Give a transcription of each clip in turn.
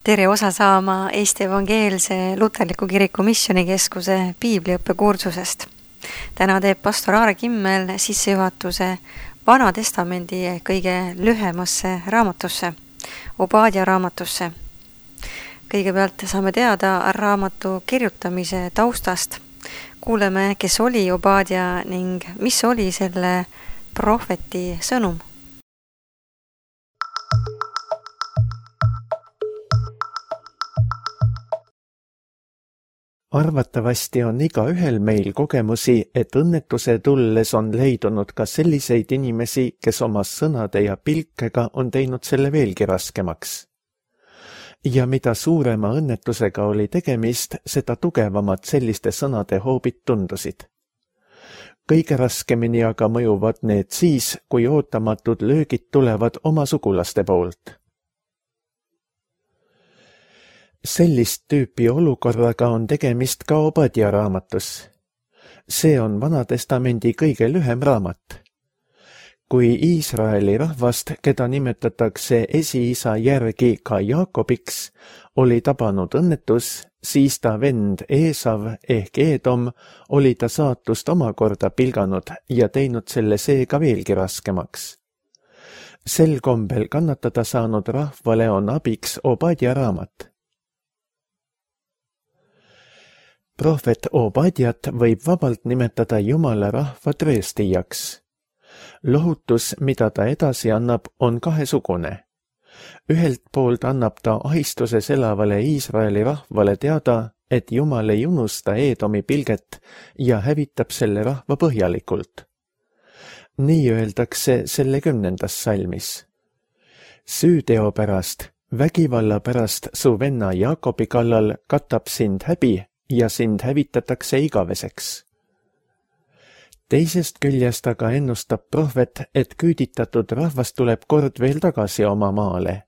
Tere osa saama Eesti Evangeelse Luterliku Kiriku Missioonikeskuse piibliõppekursusest. Täna teeb pastor Aare Kimmel sissejuhatuse Vana Testamendi kõige lühemasse raamatusse, Obadja raamatusse. Kõigepealt saame teada raamatu kirjutamise taustast. Kuuleme, kes oli Obadja ning mis oli selle prohveti sõnum. Arvatavasti on igaühel meil kogemusi, et õnnetuse tulles on leidunud ka selliseid inimesi, kes oma sõnade ja pilkega on teinud selle veelgi raskemaks. Ja mida suurema õnnetusega oli tegemist, seda tugevamad selliste sõnade hoobid tundusid. Kõige raskemini aga mõjuvad need siis, kui ootamatud löögid tulevad oma sugulaste poolt. Sellist tüüpi olukorraga on tegemist ka Obadja raamatus. See on Vana Testamendi kõige lühem raamat. Kui Iisraeli rahvast, keda nimetatakse esiisa järgi ka Jaakobiks, oli tabanud õnnetus, siis ta vend Eesav ehk Eedom oli ta saatust omakorda pilganud ja teinud selle seega veelgi raskemaks. Sel kombel kannatada saanud rahvale on abiks Obadja raamat. Prohvet Obadjat võib vabalt nimetada Jumala rahva trööstijaks. Lohutus, mida ta edasi annab, on kahesugune. Ühelt poolt annab ta ahistuses elavale Iisraeli rahvale teada, et Jumal ei unusta Eedomi pilget ja hävitab selle rahva põhjalikult. Nii öeldakse selle 10. salmis. Süüteo pärast, vägivalla pärast su venna Jaakobi kallal katab sind häbi ja sind hävitatakse igaveseks. Teisest küljest aga ennustab prohvet, et küüditatud rahvas tuleb kord veel tagasi oma maale.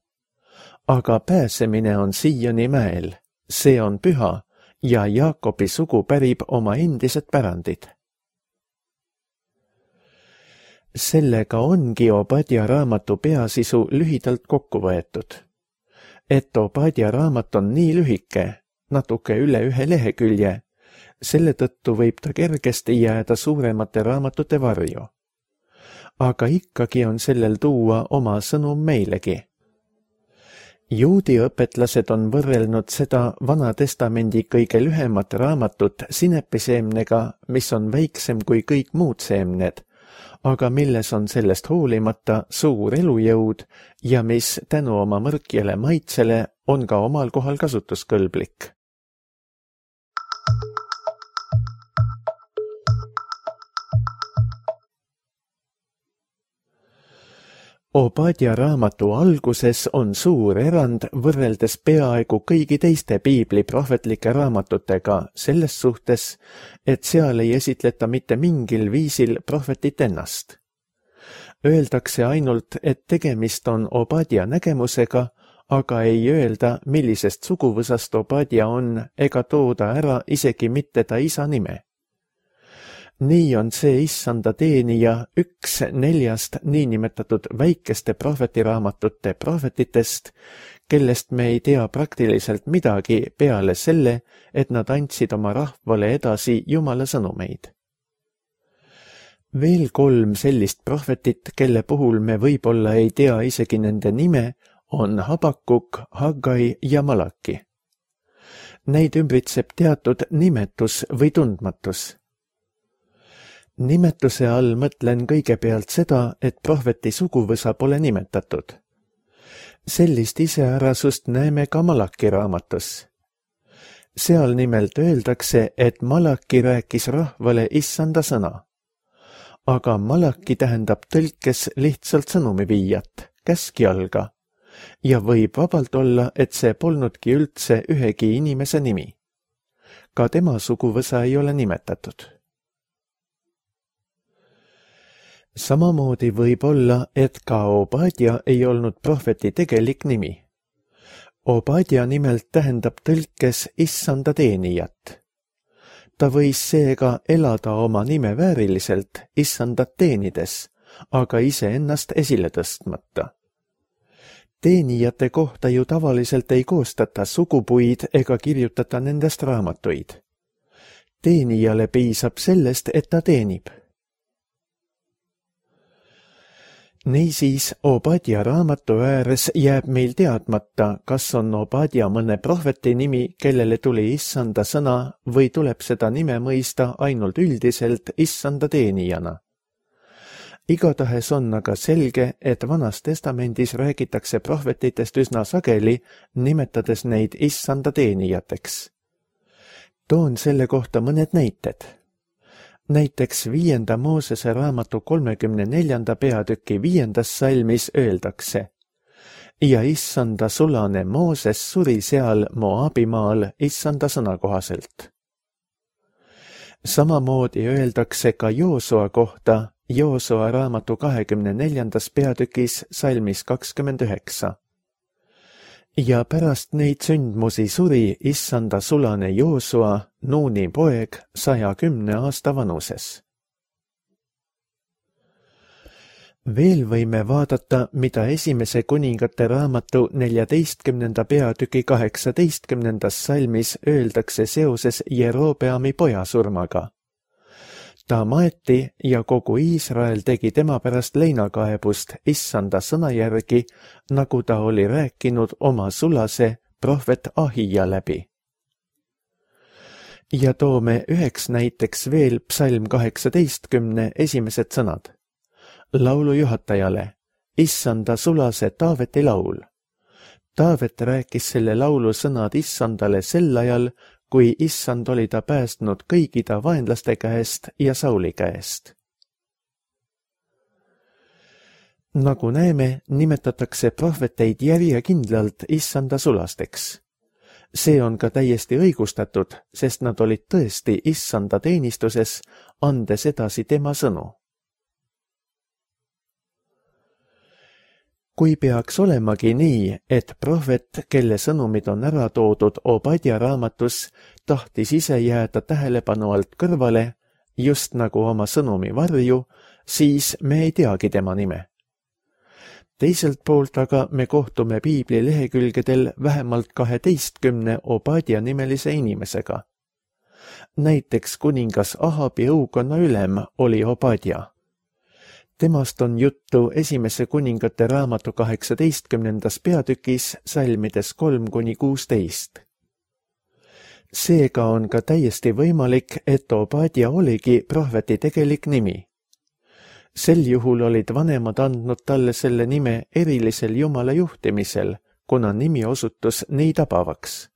Aga pääsemine on siiani mäel, see on püha ja Jaakobi sugu pärib oma endised pärandid. Sellega ongi Obadja raamatu peasisu lühidalt kokku võetud. Et Obadja raamat on nii lühike, natuke üle 1 lehekülje, selle tõttu võib ta kergesti jääda suuremate raamatute varju. Aga ikkagi on sellel tuua oma sõnum meilegi. Juudi õpetlased on võrrelnud seda Vana Testamendi kõige lühemat raamatut sinepiseemnega, mis on väiksem kui kõik muud seemned, aga milles on sellest hoolimata suur elujõud ja mis tänu oma mõrkjale maitsele on ka omal kohal kasutuskõlblik. Obadja raamatu alguses on suur erand võrreldes peaaegu kõigi teiste piibli prohvetlike raamatutega selles suhtes, et seal ei esitleta mitte mingil viisil prohvetit ennast. Öeldakse ainult, et tegemist on Obadja nägemusega, aga ei öelda, millisest suguvõsast Obadja on ega tooda ära isegi mitte ta isa nime. Nii on see issanda teenija üks 4 niinimetatud väikeste prohvetiraamatute prohvetitest, kellest me ei tea praktiliselt midagi peale selle, et nad andsid oma rahvale edasi Jumala sõnumeid. Veel 3 sellist prohvetit, kelle puhul me võib-olla ei tea isegi nende nime, on Habakuk, Haggai ja Malaki. Neid ümbritseb teatud nimetus või tundmatus. Nimetuse all mõtlen kõigepealt seda, et prohveti suguvõsa pole nimetatud. Sellist iseärasust näeme ka Malaki raamatus. Seal nimelt öeldakse, et Malaki rääkis rahvale issanda sõna. Aga Malaki tähendab tõlkes lihtsalt sõnumiviijat, käskjalga, ja võib vabalt olla, et see polnudki üldse ühegi inimese nimi. Ka tema suguvõsa ei ole nimetatud. Samamoodi võib olla, et ka Obadja ei olnud prohveti tegelik nimi. Obadja nimelt tähendab tõlkes issanda teenijat. Ta võis seega elada oma nime vääriliselt issandat teenides, aga iseennast esile tõstmata. Teenijate kohta ju tavaliselt ei koostata sugupuid ega kirjutata nendest raamatuid. Teenijale piisab sellest, et ta teenib. Niisiis, Obadja raamatu ääres jääb meil teadmata, kas on Obadja mõne prohveti nimi, kellele tuli issanda sõna, või tuleb seda nime mõista ainult üldiselt issanda teenijana. Igatahes on aga selge, et Vanas Testamendis räägitakse prohvetitest üsna sageli, nimetades neid issanda teenijateks. Toon selle kohta mõned näited. Näiteks 5. Moosese raamatu 34. peatüki 5. salmis öeldakse: ja issanda sulane Mooses suri seal Moabimaal issanda sõna kohaselt. Samamoodi öeldakse ka Joosua kohta Joosua raamatu 24. peatükis salmis 29. Ja pärast neid sündmusi suri issanda sulane Joosua, Nuuni poeg, 110 aasta vanuses. Veel võime vaadata, mida esimese kuningate raamatu 14. peatüki 18. salmis öeldakse seoses Jerobeami poja surmaga. Ta maeti ja kogu Iisrael tegi tema pärast leinakaebust issanda sõna järgi, nagu ta oli rääkinud oma sulase prohvet Ahija läbi. Ja toome üheks näiteks veel psalm 18 esimesed sõnad. Laulu juhatajale, issanda sulase Taaveti laul. Taavet rääkis selle laulu sõnad issandale sel ajal, kui issand oli ta päästnud kõigi ta vaenlaste käest ja Sauli käest. Nagu näeme, nimetatakse prohveteid järjekindlalt issanda sulasteks. See on ka täiesti õigustatud, sest nad olid tõesti issanda teenistuses, andes edasi tema sõnu. Kui peaks olemagi nii, et prohvet, kelle sõnumid on ära toodud Obadja raamatus, tahtis ise jääda tähelepanu alt kõrvale, just nagu oma sõnumi varju, siis me ei teagi tema nime. Teiselt poolt aga me kohtume piibli lehekülgedel vähemalt 12 Obadja nimelise inimesega. Näiteks kuningas Ahabi õukonna ülem oli Obadja. Temast on juttu esimese kuningate raamatu 18. peatükis salmides 3-16. Seega on ka täiesti võimalik, et Obadja oligi prohveti tegelik nimi. Sel juhul olid vanemad andnud talle selle nime erilisel Jumala juhtimisel, kuna nimi osutus nii tabavaks.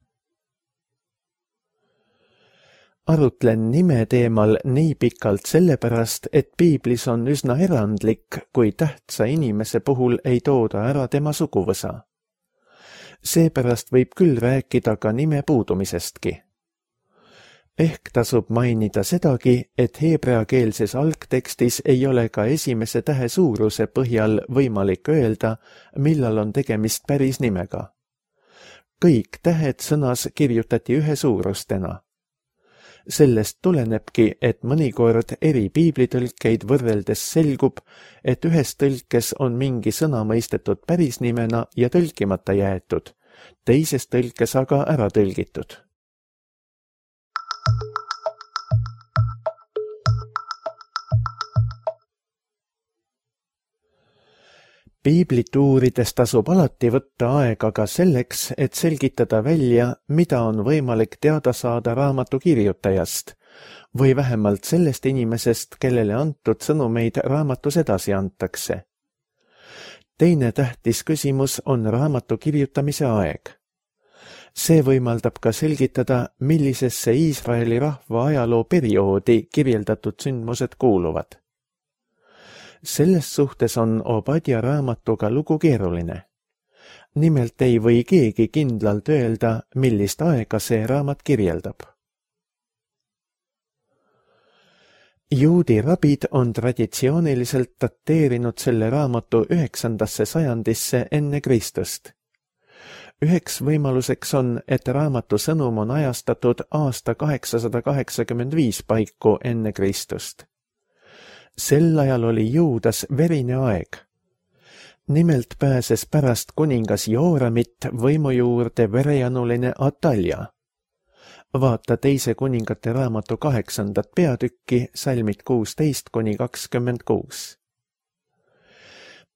Arutlen nime teemal nii pikalt sellepärast, et piiblis on üsna erandlik, kui tähtsa inimese puhul ei tooda ära tema suguvõsa. Seepärast võib küll rääkida ka nime puudumisestki. Ehk tasub mainida sedagi, et heebreakeelses algtekstis ei ole ka esimese tähe suuruse põhjal võimalik öelda, millal on tegemist päris nimega. Kõik tähed sõnas kirjutati ühe suurustena. Sellest tulenebki, et mõnikord eri piiblitõlkeid võrreldes selgub, et ühes tõlkes on mingi sõna mõistetud päris nimena ja tõlkimata jäetud, teises tõlkes aga ära tõlgitud. Piiblit uurides tasub alati võtta aega ka selleks, et selgitada välja, mida on võimalik teada saada raamatu kirjutajast või vähemalt sellest inimesest, kellele antud sõnumeid raamatus edasi antakse. Teine tähtis küsimus on raamatu kirjutamise aeg. See võimaldab ka selgitada, millisesse Iisraeli rahva ajaloo perioodi kirjeldatud sündmused kuuluvad. Selles suhtes on Obadja raamatuga lugu keeruline. Nimelt ei või keegi kindlalt öelda, millist aega see raamat kirjeldab. Juudi rabid on traditsiooniliselt dateerinud selle raamatu 9. sajandisse enne Kristust. Üheks võimaluseks on, et raamatu sõnum on ajastatud aasta 885 paiku enne Kristust. Sel ajal oli Juudas verine aeg. Nimelt pääses pärast kuningas Jooramit võimu juurde verejanuline Atalja. Vaata teise kuningate raamatu 8. peatükki, salmid 16–26.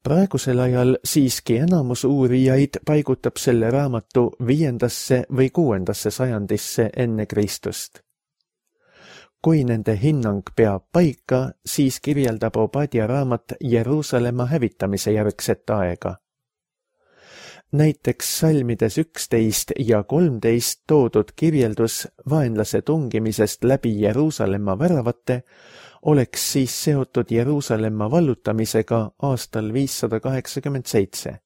Praegusel ajal siiski enamus uurijaid paigutab selle raamatu 5. või 6. sajandisse enne Kristust. Kui nende hinnang peab paika, siis kirjeldab Obadja raamat Jeruusalemma hävitamise järgset aega. Näiteks salmides 11 ja 13 toodud kirjeldus vaenlase tungimisest läbi Jeruusalemma väravate oleks siis seotud Jeruusalemma vallutamisega aastal 587.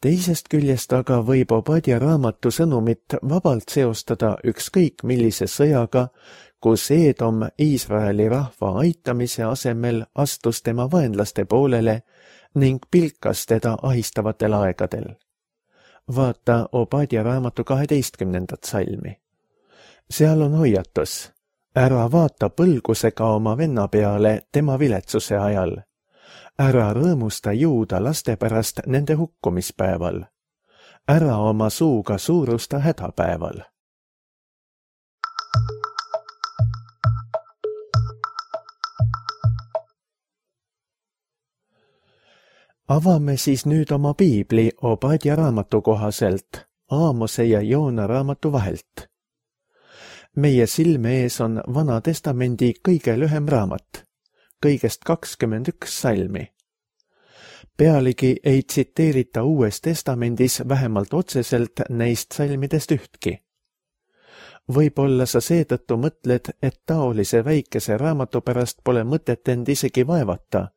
Teisest küljest aga võib Obadja raamatu sõnumit vabalt seostada ükskõik millise sõjaga, kus Eedom Iisraeli rahva aitamise asemel astus tema vaenlaste poolele ning pilkas teda ahistavatel aegadel. Vaata Obadja raamatu 12. salmi. Seal on hoiatus: ära vaata põlgusega oma venna peale tema viletsuse ajal. Ära rõõmusta juuda laste pärast nende hukkumispäeval. Ära oma suuga suurusta hädapäeval. Avame siis nüüd oma piibli Obadja raamatu kohaselt, Aamose ja Joona raamatu vahelt. Meie silme ees on Vana Testamendi kõige lühem raamat, kõigest 21 salmi. Pealegi ei tsiteerita Uues Testamendis vähemalt otseselt neist salmidest ühtki. Võib-olla sa seetõttu mõtled, et taolise väikese raamatu pärast pole mõtet end isegi vaevata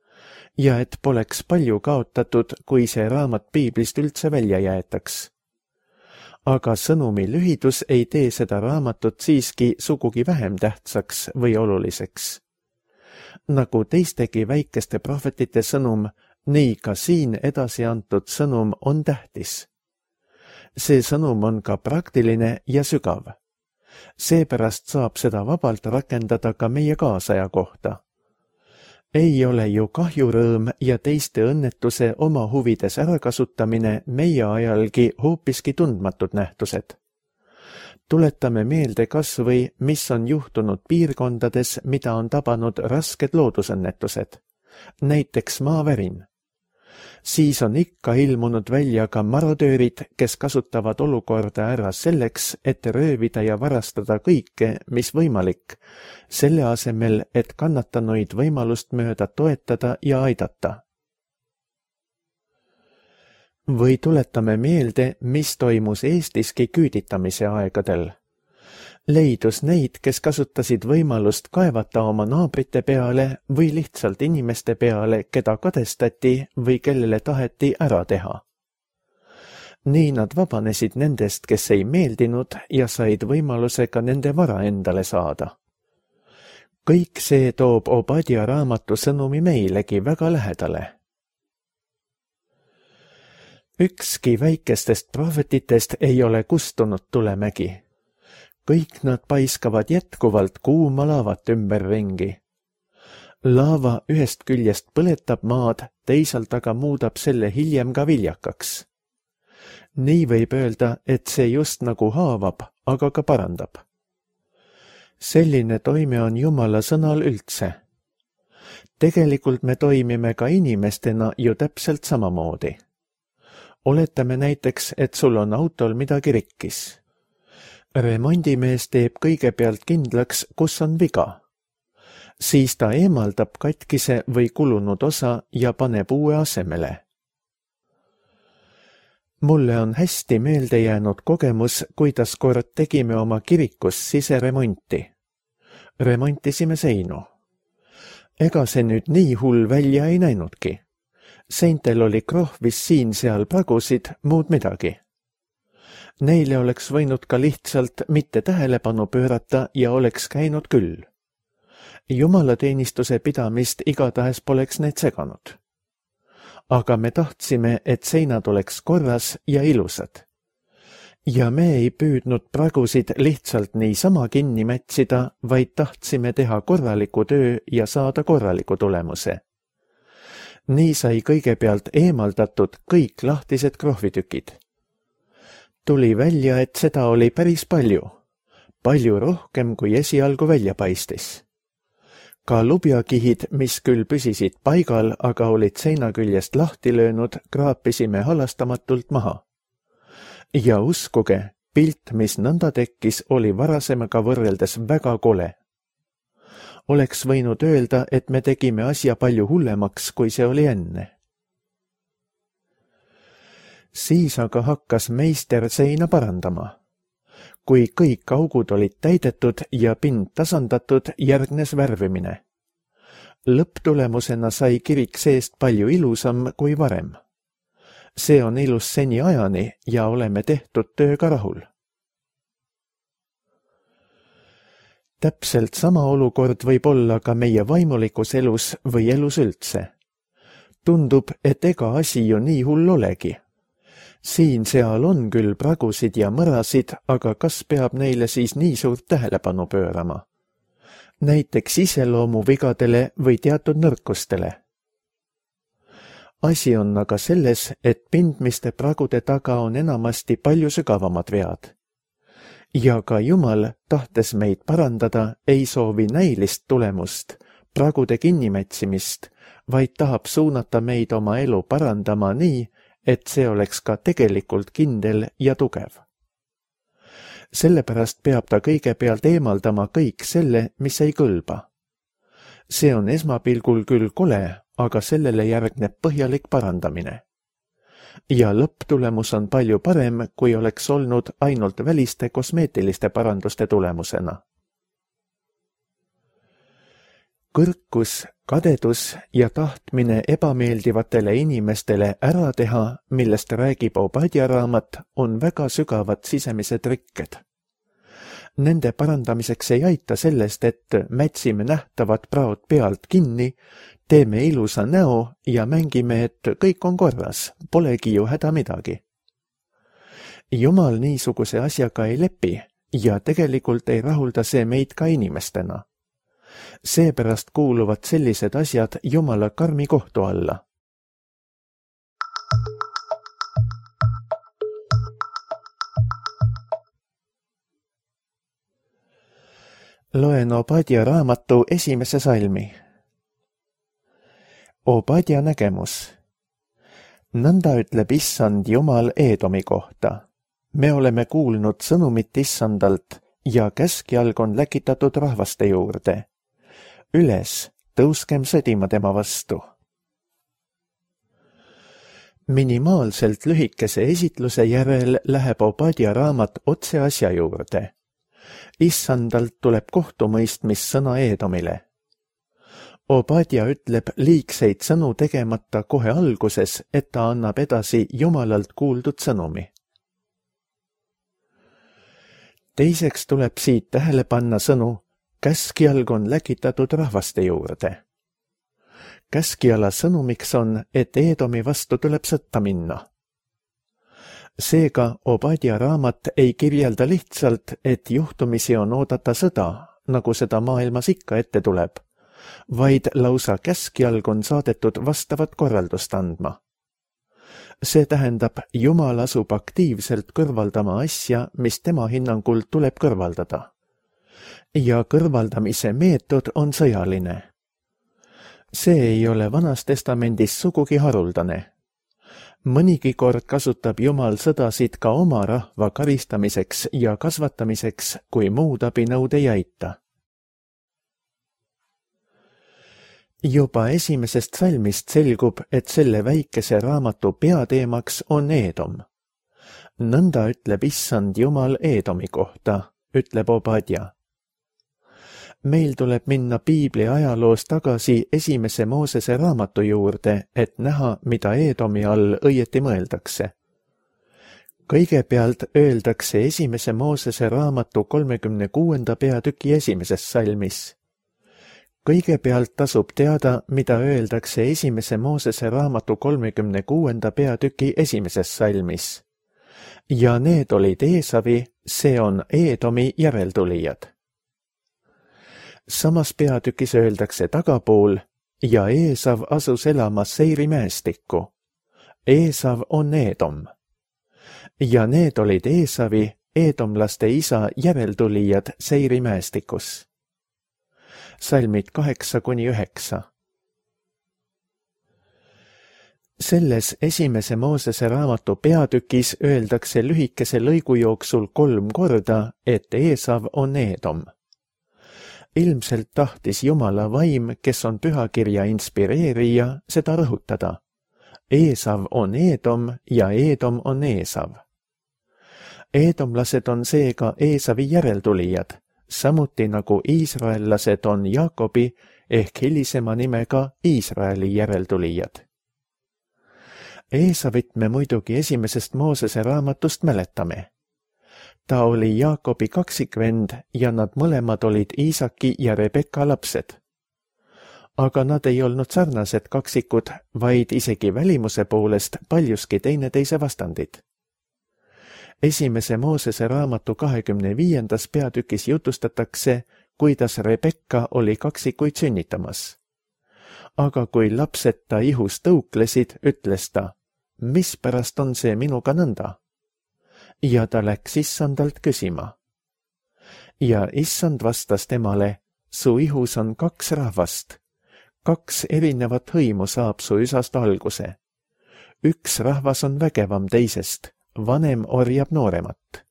ja et poleks palju kaotatud, kui see raamat piiblist üldse välja jäetaks. Aga sõnumi lühidus ei tee seda raamatut siiski sugugi vähem tähtsaks või oluliseks. Nagu teistegi väikeste prohvetite sõnum, nii ka siin edasi antud sõnum on tähtis. See sõnum on ka praktiline ja sügav. Seepärast saab seda vabalt rakendada ka meie kaasaja kohta. Ei ole ju kahjurõõm ja teiste õnnetuse oma huvides ärakasutamine meie ajalgi hoopiski tundmatud nähtused. Tuletame meelde kas või, mis on juhtunud piirkondades, mida on tabanud rasked loodusõnnetused, näiteks maavärin. Siis on ikka ilmunud välja ka marodöörid, kes kasutavad olukorda ära selleks, et röövida ja varastada kõike, mis võimalik, selle asemel, et kannatanuid võimalust mööda toetada ja aidata. Või tuletame meelde, mis toimus Eestiski küüditamise aegadel. Leidus neid, kes kasutasid võimalust kaevata oma naabrite peale või lihtsalt inimeste peale, keda kadestati või kellele taheti ära teha. Nii nad vabanesid nendest, kes ei meeldinud ja said võimaluse ka nende vara endale saada. Kõik see toob Obadja raamatu sõnumi meilegi väga lähedale. Ükski väikestest prohvetitest ei ole kustunud tulemägi. Kõik nad paiskavad jätkuvalt kuuma laavat ümberringi. Laava ühest küljest põletab maad, teisalt aga muudab selle hiljem ka viljakaks. Nii võib öelda, et see just nagu haavab, aga ka parandab. Selline toime on Jumala sõnal üldse. Tegelikult me toimime ka inimestena ju täpselt samamoodi. Oletame näiteks, et sul on autol midagi rikkis. Remondimees teeb kõigepealt kindlaks, kus on viga. Siis ta eemaldab katkise või kulunud osa ja paneb uue asemele. Mulle on hästi meelde jäänud kogemus, kuidas kord tegime oma kirikus siseremonti. Remontisime seinu. Ega see nüüd nii hull välja ei näinudki. Seintel oli krohvis siin-seal pragusid, muud midagi. Neile oleks võinud ka lihtsalt mitte tähelepanu pöörata ja oleks käinud küll. Jumalateenistuse pidamist igatahes poleks need seganud. Aga me tahtsime, et seinad oleks korras ja ilusad. Ja me ei püüdnud pragusid lihtsalt niisama kinni mätsida, vaid tahtsime teha korraliku töö ja saada korraliku tulemuse. Nii sai kõigepealt eemaldatud kõik lahtised krohvitükid. Tuli välja, et seda oli päris palju rohkem kui esialgu välja paistis. Ka lubjakihid, mis küll püsisid paigal, aga olid seina küljest lahti löönud, kraapisime halastamatult maha. Ja uskuge, pilt, mis nõnda tekkis, oli varasemaga võrreldes väga kole. Oleks võinud öelda, et me tegime asja palju hullemaks, kui see oli enne. Siis aga hakkas meister seina parandama. Kui kõik augud olid täidetud ja pind tasandatud, järgnes värvimine. Lõpptulemusena sai kirik seest palju ilusam kui varem. See on ilus seni ajani ja oleme tehtud tööga rahul. Täpselt sama olukord võib olla ka meie vaimulikus elus või elus üldse. Tundub, et ega asi ju nii hull olegi. Siin-seal on küll pragusid ja mõrasid, aga kas peab neile siis nii suurt tähelepanu pöörama? Näiteks iseloomuvigadele või teatud nõrkustele. Asi on aga selles, et pindmiste pragude taga on enamasti palju sügavamad vead. Ja ka Jumal, tahtes meid parandada, ei soovi näilist tulemust, pragude kinnimätsimist, vaid tahab suunata meid oma elu parandama nii, et see oleks ka tegelikult kindel ja tugev. Sellepärast peab ta kõigepealt eemaldama kõik selle, mis ei kõlba. See on esmapilgul küll kole, aga sellele järgneb põhjalik parandamine. Ja lõpptulemus on palju parem, kui oleks olnud ainult väliste kosmeetiliste paranduste tulemusena. Kõrkus, kadedus ja tahtmine ebameeldivatele inimestele ära teha, millest räägib Obadja raamat, on väga sügavad sisemised rikked. Nende parandamiseks ei aita sellest, et mätsime nähtavad praod pealt kinni, teeme ilusa näo ja mängime, et kõik on korras, polegi ju häda midagi. Jumal niisuguse asjaga ei lepi ja tegelikult ei rahulda see meid ka inimestena. Seepärast kuuluvad sellised asjad Jumala karmi kohtu alla. Loen Obadja raamatu 1. salmi. Obadja nägemus. Nõnda ütleb Issand Jumal Eedomi kohta. Me oleme kuulnud sõnumit Issandalt ja käskjalg on läkitatud rahvaste juurde. Üles, tõuskem sõdima tema vastu. Minimaalselt lühikese esitluse järel läheb Obadja raamat otse asja juurde. Issandalt tuleb kohtumõistmis sõna Eedomile. Obadja ütleb liigseid sõnu tegemata kohe alguses, et ta annab edasi Jumalalt kuuldud sõnumi. Teiseks tuleb siit tähele panna sõnu käskjalg on läkitatud rahvaste juurde. Käskjala sõnumiks on, et Eedomi vastu tuleb sõtta minna. Seega Obadja raamat ei kirjelda lihtsalt, et juhtumisi on oodata sõda, nagu seda maailmas ikka ette tuleb, vaid lausa käskjalg on saadetud vastavat korraldust andma. See tähendab, Jumal asub aktiivselt kõrvaldama asja, mis tema hinnangul tuleb kõrvaldada. Ja kõrvaldamise meetod on sõjaline. See ei ole Vanas Testamendis sugugi haruldane. Mõnigi kord kasutab Jumal sõdasid ka oma rahva karistamiseks ja kasvatamiseks, kui muud abinõud ei aita. Juba 1. salmist selgub, et selle väikese raamatu peateemaks on Eedom. Nõnda ütleb Issand Jumal Eedomi kohta, ütleb Obadja. Meil tuleb minna Piibli ajaloos tagasi 1. Moosese raamatu juurde, et näha, mida Eedomi all õieti mõeldakse. Kõigepealt öeldakse 1. Moosese raamatu 36. peatüki 1. salmis. Kõigepealt tasub teada, mida öeldakse 1. Moosese raamatu 36. peatüki 1. salmis. Ja need olid Eesavi, see on Eedomi järeltulijad. Samas peatükis öeldakse tagapool ja Eesav asus elama Seiri mäestikku. Eesav on Eedom. Ja need olid Eesavi, eedomlaste isa järeltulijad Seiri mäestikus. Salmid 8-9. Selles esimese Moosese raamatu peatükis öeldakse lühikese lõigu jooksul 3 korda, et Eesav on Eedom. Ilmselt tahtis Jumala vaim, kes on pühakirja inspireerija, seda rõhutada. Eesav on Eedom ja Eedom on Eesav. Eedomlased on seega Eesavi järeltulijad, samuti nagu iisraellased on Jaakobi ehk hilisema nimega Iisraeli järeltulijad. Eesavit me muidugi esimesest Moosese raamatust mäletame. Ta oli Jaakobi kaksikvend ja nad mõlemad olid Iisaki ja Rebekka lapsed. Aga nad ei olnud sarnased kaksikud, vaid isegi välimuse poolest paljuski teineteise vastandid. Esimese Moosese raamatu 25. peatükis jutustatakse, kuidas Rebekka oli kaksikuid sünnitamas. Aga kui lapsed ta ihus tõuklesid, ütles ta, mispärast on see minuga nõnda? Ja ta läks issandalt küsima. Ja issand vastas temale, su ihus on 2 rahvast. 2 erinevat hõimu saab su üsast alguse. Üks rahvas on vägevam teisest, vanem orjab nooremat.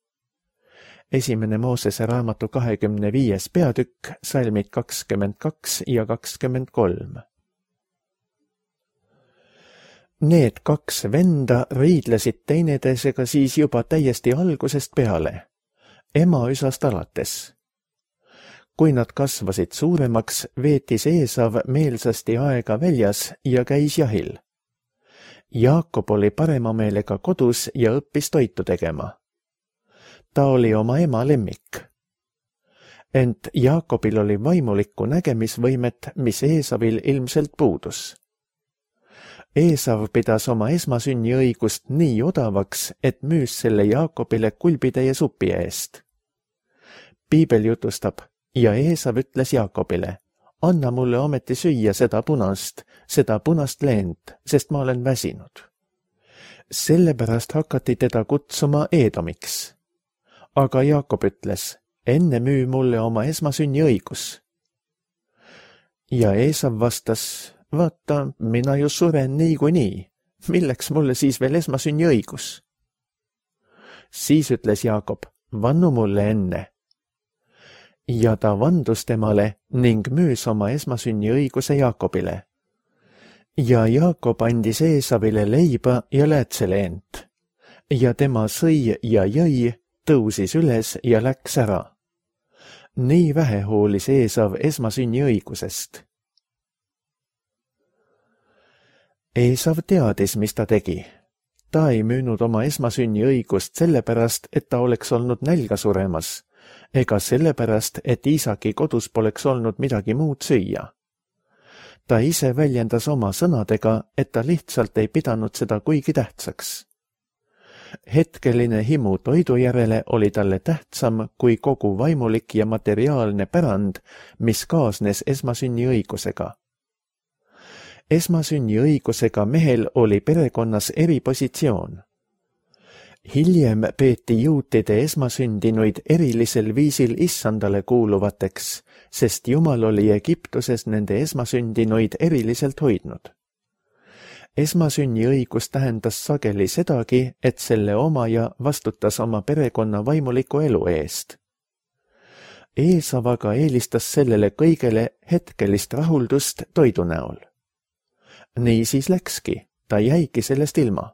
Esimene Moosese raamatu 25. peatükk, salmid 22 ja 23. Need 2 venda riidlesid teineteisega siis juba täiesti algusest peale, ema üsast alates. Kui nad kasvasid suuremaks, veetis Eesav meelsasti aega väljas ja käis jahil. Jaakob oli parema meelega kodus ja õppis toitu tegema. Ta oli oma ema lemmik. Ent Jaakobil oli vaimulikku nägemisvõimet, mis Eesavil ilmselt puudus. Eesav pidas oma esmasünniõigust nii odavaks, et müüs selle Jaakobile kulbitäie supi eest. Piibel jutustab, ja Eesav ütles Jaakobile, anna mulle ometi süüa seda punast leent, sest ma olen väsinud. Sellepärast hakati teda kutsuma Eedomiks. Aga Jaakob ütles, enne müü mulle oma esmasünniõigus. Ja Eesav vastas, vaata, mina ju suren niikuinii, milleks mulle siis veel esmasünniõigus? Siis ütles Jaakob, vannu mulle enne. Ja ta vandus temale ning müüs oma esmasünniõiguse Jaakobile. Ja Jaakob andis Eesavile leiba ja läätseleent. Ja tema sõi ja jõi, tõusis üles ja läks ära. Nii vähe hoolis Eesav esmasünniõigusest. Eesav teadis, mis ta tegi. Ta ei müünud oma esmasünniõigust sellepärast, et ta oleks olnud nälga suremas, ega sellepärast, et Iisaki kodus poleks olnud midagi muud süüa. Ta ise väljendas oma sõnadega, et ta lihtsalt ei pidanud seda kuigi tähtsaks. Hetkeline himu toidu järele oli talle tähtsam kui kogu vaimulik ja materiaalne pärand, mis kaasnes esmasünniõigusega. Esmasünniõigusega mehel oli perekonnas eripositsioon. Hiljem peeti juutide esmasündinuid erilisel viisil issandale kuuluvateks, sest Jumal oli Egiptuses nende esmasündinuid eriliselt hoidnud. Esmasünniõigus tähendas sageli sedagi, et selle omaja vastutas oma perekonna vaimuliku elu eest. Eesav aga eelistas sellele kõigele hetkelist rahuldust toidu näol. Nii siis läkski, ta jäigi sellest ilma.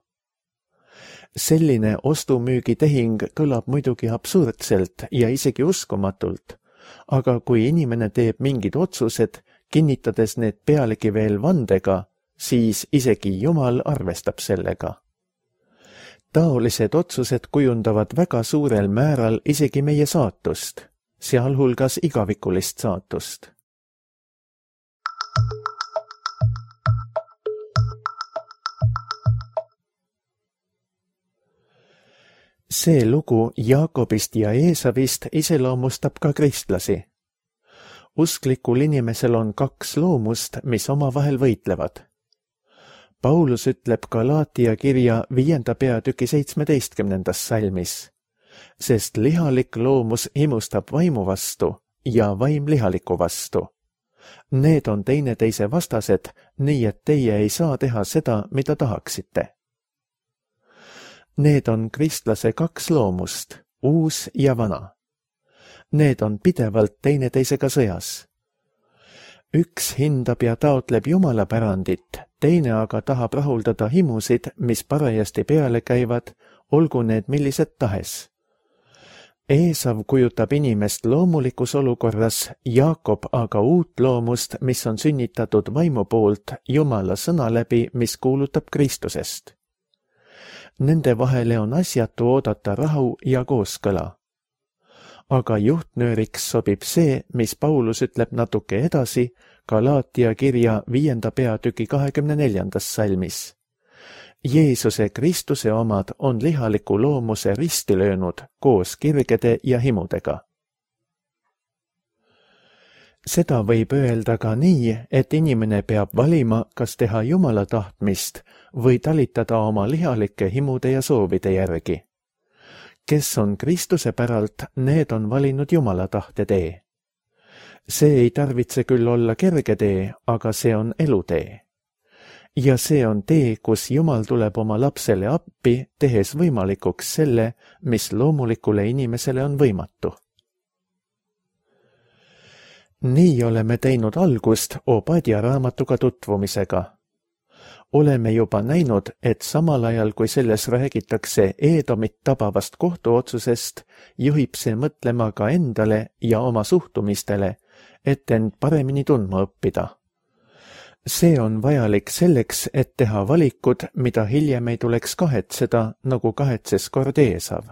Selline ostumüügitehing kõlab muidugi absurdselt ja isegi uskumatult, aga kui inimene teeb mingid otsused, kinnitades need pealegi veel vandega, siis isegi Jumal arvestab sellega. Taolised otsused kujundavad väga suurel määral isegi meie saatust, sealhulgas igavikulist saatust. See lugu Jaakobist ja Eesavist iseloomustab ka kristlasi. Usklikul inimesel on 2 loomust, mis omavahel võitlevad. Paulus ütleb Galaatia kirja 5. peatüki 17. salmis, sest lihalik loomus imustab vaimu vastu ja vaim lihaliku vastu. Need on teineteise vastased, nii et teie ei saa teha seda, mida tahaksite. Need on kristlase 2 loomust, uus ja vana. Need on pidevalt teineteisega sõjas. Üks hindab ja taotleb Jumala pärandit, teine aga tahab rahuldada himusid, mis parajasti peale käivad, olgu need millised tahes. Eesav kujutab inimest loomulikus olukorras, Jaakob aga uut loomust, mis on sünnitatud vaimu poolt Jumala sõna läbi, mis kuulutab Kristusest. Nende vahele on asjatu oodata rahu ja kooskõla. Aga juhtnööriks sobib see, mis Paulus ütleb natuke edasi Galaatia kirja 5. peatüki 24. salmis. Jeesuse Kristuse omad on lihaliku loomuse risti löönud koos kirgede ja himudega. Seda võib öelda ka nii, et inimene peab valima, kas teha Jumala tahtmist või talitada oma lihalike himude ja soovide järgi. Kes on Kristuse päralt, need on valinud Jumala tahte tee. See ei tarvitse küll olla kerge tee, aga see on elutee. Ja see on tee, kus Jumal tuleb oma lapsele appi, tehes võimalikuks selle, mis loomulikule inimesele on võimatu. Nii oleme teinud algust Obadia raamatuga tutvumisega. Oleme juba näinud, et samal ajal, kui selles räägitakse Eedomit tabavast kohtuotsusest, juhib see mõtlema ka endale ja oma suhtumistele, et end paremini tundma õppida. See on vajalik selleks, et teha valikud, mida hiljem ei tuleks kahetseda, nagu kahetses kord Eesav.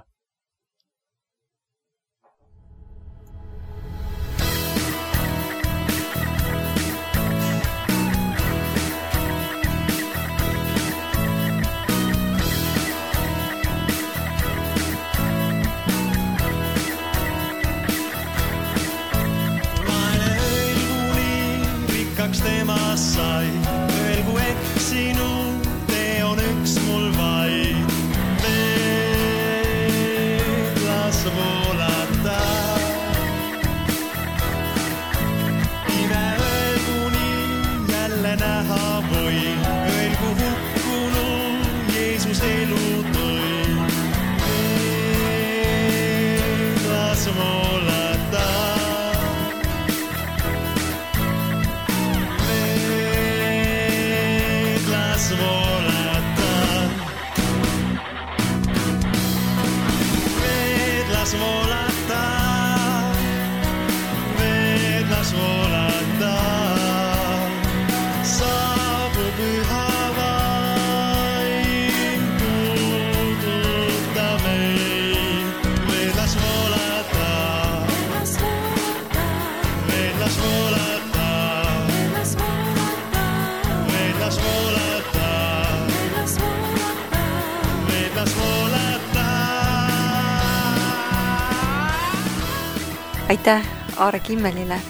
Temast sai, öelgu eksinud, tee on üks mul vaid. Veel las voolata. Ime öelgu nii jälle näha või, öelgu hukkunu Jeesus elu tõi. Veel las voolata. Volata, saabu püha vaim, puuduta meid. Veel las volata, veel las volata, veel las volata, veel las volata. Aitäh Aare Kimmelile.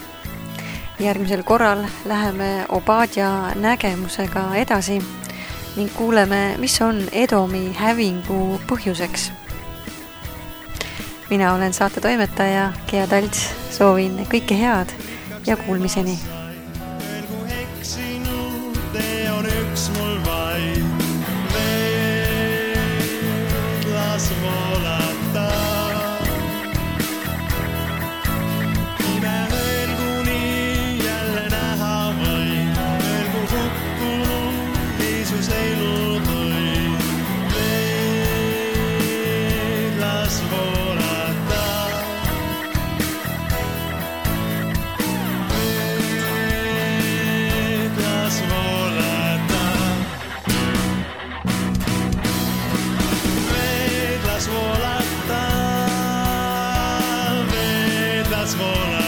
Järgmisel korral läheme Obadia nägemusega edasi ning kuuleme, mis on Edomi hävingu põhjuseks. Mina olen saate toimetaja Gea Talts, soovin kõike head ja kuulmiseni. Öelgu eksinud, tee on üks mul vaid. Veel las voolata. Volata,